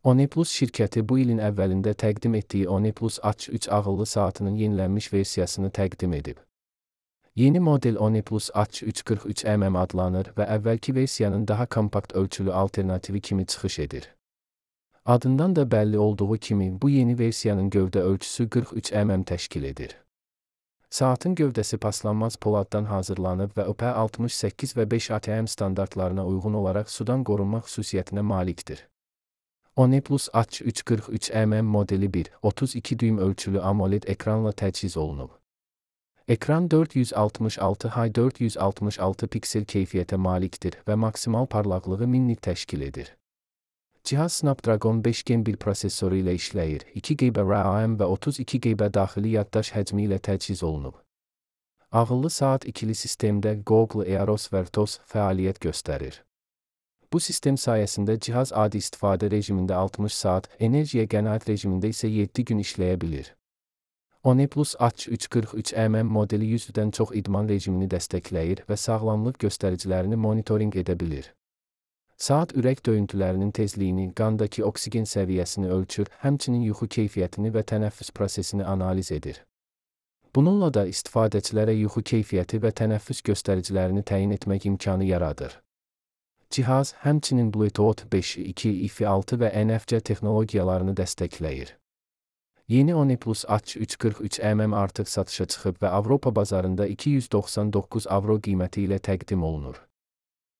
OnePlus şirkəti bu ilin əvvəlində təqdim etdiyi OnePlus H3 ağıllı saatının yenilənmiş versiyasını təqdim edib. Yeni model OnePlus H3 43mm adlanır və əvvəlki versiyanın daha kompakt ölçülü alternativi kimi çıxış edir. Adından da bəlli olduğu kimi bu yeni versiyanın gövdə ölçüsü 43 mm təşkil edir. Saatın gövdəsi paslanmaz poladdan hazırlanıb və IP68 və 5 ATM standartlarına uyğun olaraq sudan qorunma xüsusiyyətinə malikdir. OnePlus H3 43mm modeli 1.32 düym ölçülü AMOLED ekranla təchiz olunub. Ekran 466x466 piksel keyfiyyətə malikdir və maksimal parlaqlığı 1000 nit təşkil edir. Cihaz Snapdragon 5 Gen 1 prosesoru ilə işləyir, 2 GB RAM və 32 GB daxili yaddaş həcmi ilə təchiz olunub. Ağıllı saat ikili sistemdə Google Eos Vertos fəaliyyət göstərir. Bu sistem sayəsində cihaz adi istifadə rejimində 60 saat, enerjiyə qənaət rejimində isə 7 gün işləyə bilir. OnePlus H3 43mm modeli 100-dən çox idman rejimini dəstəkləyir və sağlamlıq göstəricilərini monitorinq edə bilir. Saat ürək döyüntülərinin tezliyini, qandakı oksigen səviyyəsini ölçür, həmçinin yuxu keyfiyyətini və tənəffüs prosesini analiz edir. Bununla da istifadəçilərə yuxu keyfiyyəti və tənəffüs göstəricilərini təyin etmək imkanı yaradır. Cihaz həmçinin Bluetooth 5.2, Wi-Fi 6 və NFC texnologiyalarını dəstəkləyir. Yeni OnePlus H3 43mm artıq satışa çıxıb və Avropa bazarında €299 qiyməti ilə təqdim olunur.